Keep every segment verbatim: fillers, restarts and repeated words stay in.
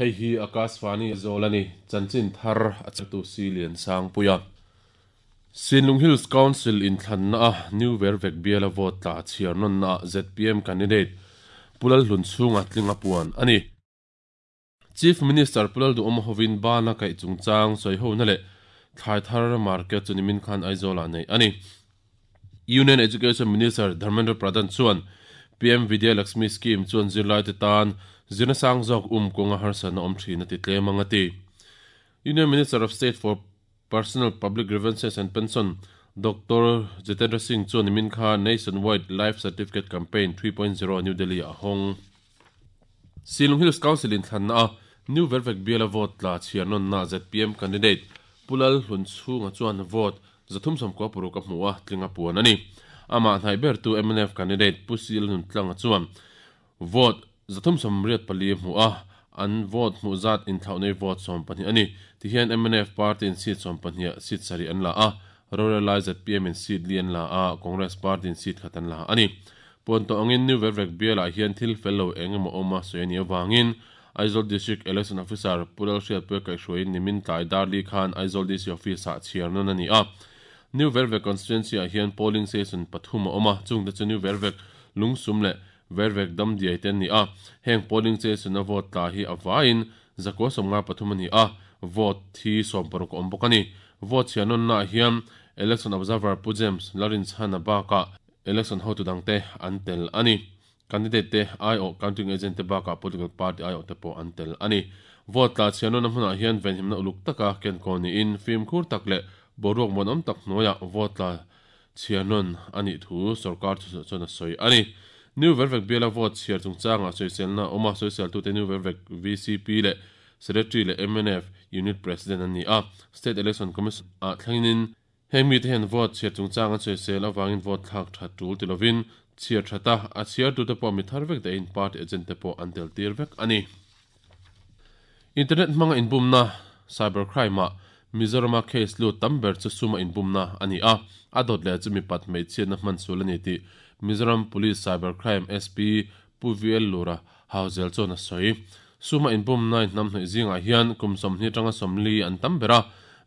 Hei hi Akashvani Zolani chanchin thar achatu silian sangpuia Sinlung Hills Council in thlanna New Vervek biala vote tla chiar non na Z P M candidate Pulal Hlun chunga tlinga puan ani Chief Minister Pulal du Omhovin bana kai chungchang soi ho na le thlai thar market chunimin khan Aizola nei ani Union Education Minister Dharmendra Pradhan chuan P M Vidya Lakshmi Scheme chuan zirlai te tan zirna sang zawk um kawnga harsatna awm thin a ti tlem anga ti Union Minister of State for Personal Public Grievances and Pension Doctor Jitendra Singh chuan nimin kha Nationwide Life Certificate Campaign three point zero New Delhi a hawng Silung Hills Council in thlanna a New Vervek biala vote tla chhiar non na Z P M candidate Pulal Hlun chhunga chuan vote zathum samkua paruk a hmu a tlinga puan ani ama hnai ber tu M N F candidate Pusil Nun tlanga chuan vote zathum samriat pali hmu a an vote hmu zat in thlaunei vote som pahnih ani ti hian M N F party in seat som pahnih seat sari an la a Rural Z P M in seat li an la a Congress party in seat khat an la ani pon to angin New Vervek biala hian thil fello engemaw awma sawi ani awangin Aizawl District Election Officer Pulal Hriat Pui kai hruaiin nimin tlai Darli khan Aizawl D C Office ah chhiar non ani a New Vervek constituency ah hian polling station pathum a awm a chungte chu New Vervek lungsum leh Vervek dam diai te ani a heng polling station a vote tla hi a vaiin zakua sawmnga pathum ani a vote thi sawm paruk a awm bawk ani vote chhiar non na hian Election Observer Pu James Larin Chhana baka election hotu dangte an tel ani candidate te I O counting agent te baka political party I O te po an tel ani vote tla chhiar non na hmunah hian venhimna uluk taka ken ko ni in film khur tak leh boruak muanawm tak hnuaiah vote tla chhiar non ani thu sarkar chu chuan a sawi ani New Vervek biala vote chhiar chungchanga sawiselna awma sawisel tu te New Vervek V C P leh Secretary leh M N F Unit President ani a State Election Commission a thlengin heng mi te hian vote chhiar chungchanga sawisel awangin vote thlak that tul ti lovin chhiar thata a chhiar tu te pawh mi thar vek te in party agent te pawh an tel tir vek ani Internet hmanga inbumna cybercrime ah Mizorama case lu tamber chu suma inbumna ani a a dot leh chu mi pat mei chhiatna hman sul ani ti Mizoram Police Cybercrime S P Pu V L Lura Hauzel chuan a sawi suma inbumna in hnam hnaih zingah hian kum sawmhnih atanga sawmli an tam ber a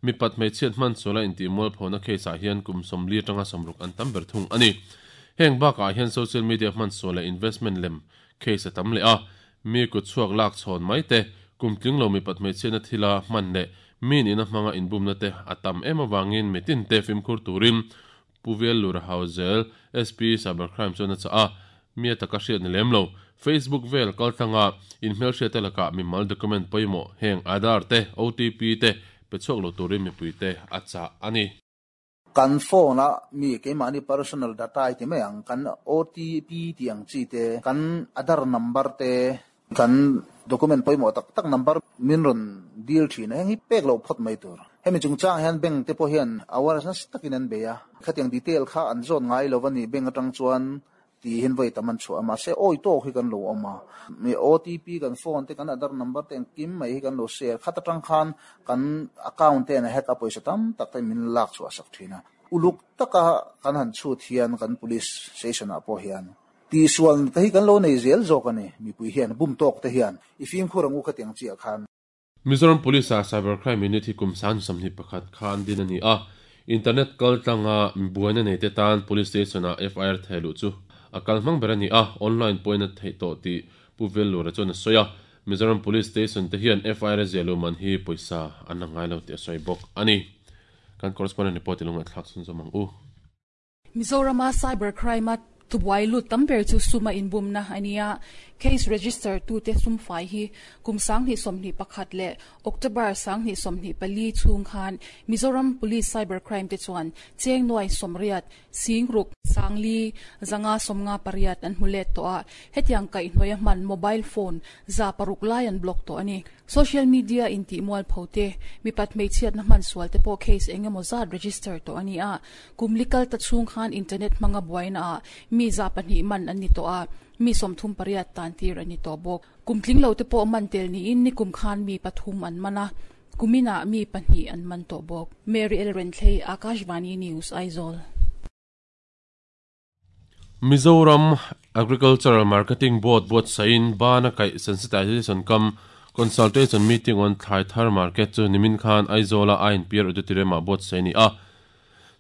mi pat mei chhiat hman sula inti mual phona case ah hian kum sawmli atanga sawmruk an tam ber thung ani heng bakah hian social media hman sul leh investment lem case a tam leh a mi kut chhuak lak chhawn mai te kum tling lo mi pat mei chhiatna thila hman leh mi nina hmanga inbumna te a tam em awangin mitin te fimkhur turin Pu V L Lura Hauzel S P Cybercrime chuan a cha a mi ataka hriat ni lem lo Facebook vel kaltanga in hmel hriat te lakah mimal document pawimawh heng Aadhaar te O T P te pe chhuak lo turin mipui te a cha ani kan phone a mi keimahni personal data ai ti mai ang kan O T P ti ang chi te kan Aadhaar number te kan document pawimawh tak tak number min rawn deal thin a heng hi pek lo phawt mai tur hemi chungchang hian bank te pawh hian awareness takin an bei a khatiang detail kha an zawn ngai lo ani bank atang chuan ti hin voi tam an chhuah a mahse awi tawk hi kan lo awm a mi O T P kan phone te kan Aadhaar number te engkim mai hi kan lo share khat atang khan kan account te an hack a pawisa tam tak te min lak chhuah sak thin a uluk taka kan han chhut hian kan police station ah pawh hian ti sual te hi kan lo nei zel zawk ani mipui hian bum tawk te hian i fim khur angu khatiang chiah khan Mizoram Police a Cybercrime Unit hi kum san samhnih pakhat khan din ani a internet kaltlanga buaina nei te tan police station a F I R theilu chu a kal hmang ber ani a online point a thei tawh ti Pu V L Lura chuan a sawi a Mizoram Police Station te hian F I R zelu man hi pawisa an la ngai lo ti a sawi bawk ani kan correspondent report ilung a thlak chhun zawm ang u Mizorama cybercrime a tubuai lu tamber chu suma inbumna ania case register tu te sum fai hi kum sang ni somni pakhat le October sang ni somni pali chung khan Mizoram Police Cybercrime te chuan cheng noi somriat singruk sangli zanga somnga pariat an hmulet to a hetiang kai hnoya man mobile phone za paruk lai an block to ani social media in ti mual phote mi pat mei chiat na man sual te po case engemaw zat register to ani a kumlikal ta chung khan internet manga buaina a mi za pahnih man ani to a mi somthum pariat tan tir ani to bok kumtling lo te po man tel ni in ni kum khan mi pathum an mana kumina mi pahnih an man to bok Mary L Rentley Akashvani News Aizawl Mizoram Agricultural Marketing Board buat sain bana kai sensitization kam Consultation meeting on Thlai Thar Market chu nimin khan Aizawl a I N P R Auditorium ah buatsaih a ni a.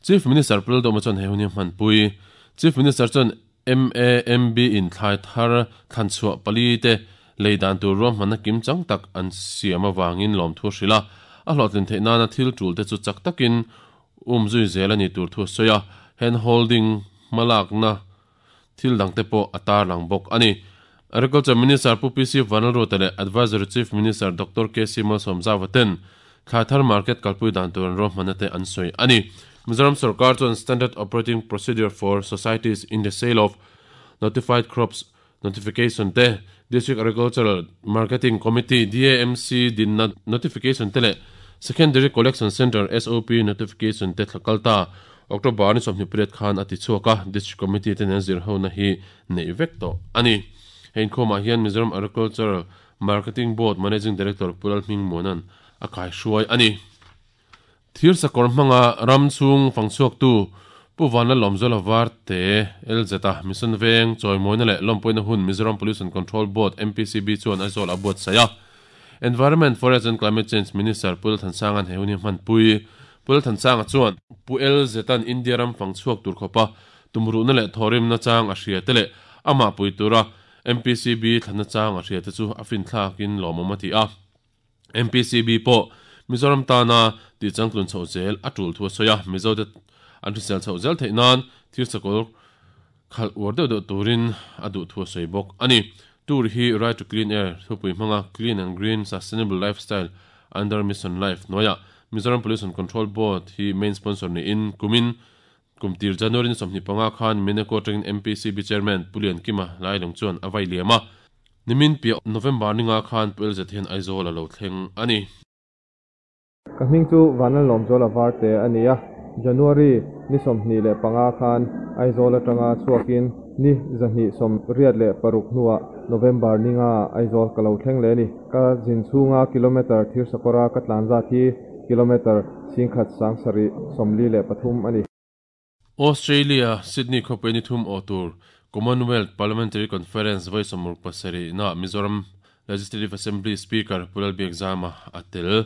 Chief Minister Pu Lalduhoma chuan he hun hi a hmanpui. Chief Minister chuan M A M B in thlai thar thlan chhuah pali te lei dan tur ruahmanna kim chang tak an siam avangin lawmthu a hrilh a. A hlawhtlin theih nana thil tul te chu chak takin um zui zel a ni tur thu a sawi a. Hand holding hmalakna thil dangte pawh a tarlang bawk a ni. Agriculture Minister Pu P C Vanlalruata leh Advisory Chief Minister Doctor K C Malsawmzauva ten thlai thar market kalpui dan tur an ruahmanna te an sawi a ni. Mizoram sorkar chuan Standard Operating Procedure for Societies in the Sale of Notified Crops Notification te, District Agricultural Marketing Committee, D A M C, dinna Notification te leh Secondary Collection Centre S O P Notification te thlakal ta October ni sawmhnih pariat khan a ti chhuak a, District Committee te nen zir hona hi neih vek tawh a ni. Hei inkhawmah hian Mizoram Agricultural Marketing Board Managing Director Pu Lalhmingmuana'n a kaihruai a ni. Thir sakawr hmanga ram chhung fangchhuaktu Pu Vanlalawmzuala Varte L Z a Mission Veng chawimawina leh lawmpuina hun Mizoram Pollution Control Board M P C B chuan Aizawl a buatsaih a. Environment, Forest and Climate Change Minister Pu Lalthansanga'n he hun hi hmanpui. Pu Lalthansanga chuan Pu L Z-a'n India ram fangchhuak tur khawpa tumruhna leh thawrimna chang a hria te leh amah pui tura M P C B thlanna chang a hria te chu a finthlakin lawmawm a ti a. M P C B pawh Mizoram tana tih changtlun chhoh zel a tul thu a sawi a. Mizo te an hrisel chhoh zel theih nan thir sakawr khalh uar deuh deuh turin a duh thu a sawi bawk a ni. Tour hi Right to Clean Air thupui hmanga Clean and Green Sustainable Lifestyle under Mission Life hnuaiah Mizoram Pollution Control Board hi main sponsor niin kumin kumtir January ni sawmhnih panga khan Mineko atangin M P C B Chairman Pu Liankima Lailung chuan a vai liam a. Nimin piah November ninga khan Pu L Z hian Aizawl a lo thleng a ni. Ka hming chu Vanlalawmzuala Varte a ni a. January ni sawmhnih leh panga khan Aizawl atanga chhuakin ni zahnih sawm riat leh paruk hnuah November ninga Aizawl ka lo thleng leh ni. Ka zin chhunga kilometer thir sakawra ka tlan zat hi kilometer singkhat sang sarih sawmli leh pathum a ni. Australia Sydney khawpui ni thum aw tur Commonwealth Parliamentary Conference vawi sawmruk pasarih na Mizoram Legislative Assembly Speaker Pu Lalbiakzama a tel.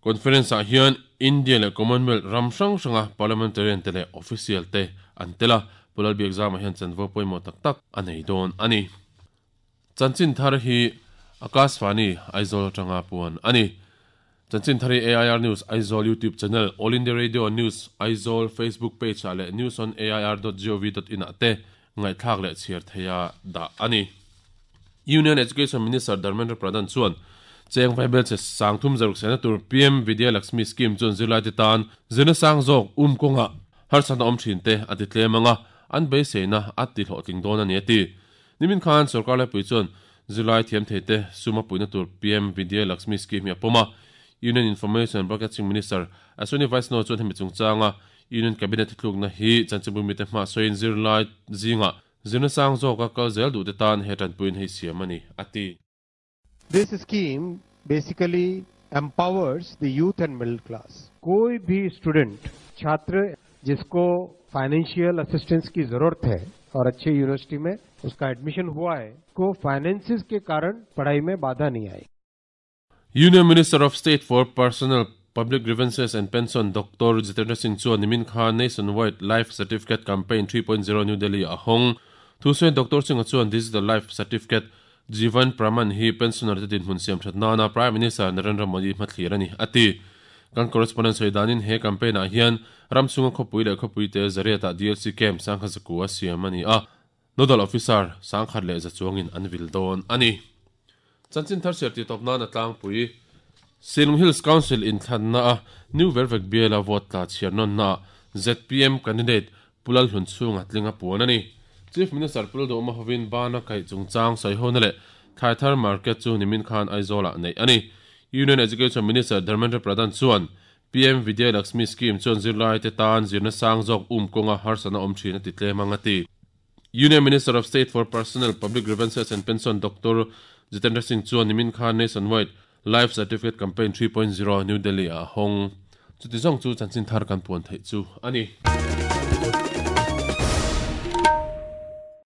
Conference ah hian India leh Commonwealth ram hrang hranga parliamentarian te leh official te an tel a. Pu Lalbiakzama hian chanvo pawimawh tak tak a nei dawn a ni. Chanchin thar hi Akashvani Aizawl atanga puan a ni. Chanchin thar hi A I R News Aizawl YouTube channel, All India Radio News Aizawl Facebook page ah leh news on A I R dot gov dot in ah te ngaihthlak leh chhiar theia dah a ni. Union Education Minister Dharmendra Pradhan chuan cheng vaibel che sangthum zaruk sena tur P M Vidya Lakshmi Scheme chuan zirlai te tan zirna sang zawk um kawnga harsatna awm thin te a ti tlem anga, an beiseina a ti hlawhtling dawn a ni a ti. Nimin khan sarkar laipui chuan zirlai thiam thei te suma puina tur P M Vidya Lakshmi Scheme hi a pawm a. Union Information and Broadcasting Minister Ashwini Vaishnaw chuan hemi chungchanga Union Cabinet thlukna hi chanchinbu mite hma sawiin zirlai zinga zirna sang zawka kal zel duh te tan he tanpuiin hei siam a ni a ti. This scheme basically empowers the youth and middle class. कोई भी student, छात्र जिसको financial assistance की जरूरत है और अच्छे यूनिवर्सिटी में उसका एडमिशन हुआ है, को फाइनेंसिस के कारण पढ़ाई में बाधा नहीं आई। Union Minister of State for Personnel, Public Grievances and Pension Doctor Jitendra Singh chuan nimin khan Nationwide Life Certificate Campaign three point zero New Delhi a hawng. Thu sawiin Doctor Singh chuan Digital Life Certificate Jeevan Praman hi pensioner te dinhmun siam that nana Prime Minister Narendra Modi hmathlir a ni a ti. Kan correspondent sawi danin he campaign ah hian ram chunga khawpui leh khawpui te zariat ah D L C camp sangkhat zaku a siam a ni a. Nodal officer sangkhat leh za chuangin an vil dawn a ni. Chanchin thar siar ti tawp nan a tlangpui. Shillong Hills Council inthlanna a New Vervek biala vote tla chhiar nawn na Z P M candidate Pu Lalhlunchhunga tlinga puan a ni. Chief Minister Pu Lalduhoma hovin bana kaih chungchang sawi hona leh thlai thar market chu nimin khan Aizawl ah neih a ni. Union Education Minister Dharmendra Pradhan chuan P M Vidya Lakshmi Scheme chuan zirlai te tan zirna sang zawk um kawnga harsatna awm thin a ti tlem anga ti. Union Minister of State for Personnel, Public Grievances and Pension Doctor Jitendra Singh chuan nimin khan Nationwide Life Certificate Campaign three point zero New Delhi a hawng. Chuti zawng chu chanchin thar kan puan theih chu a ni.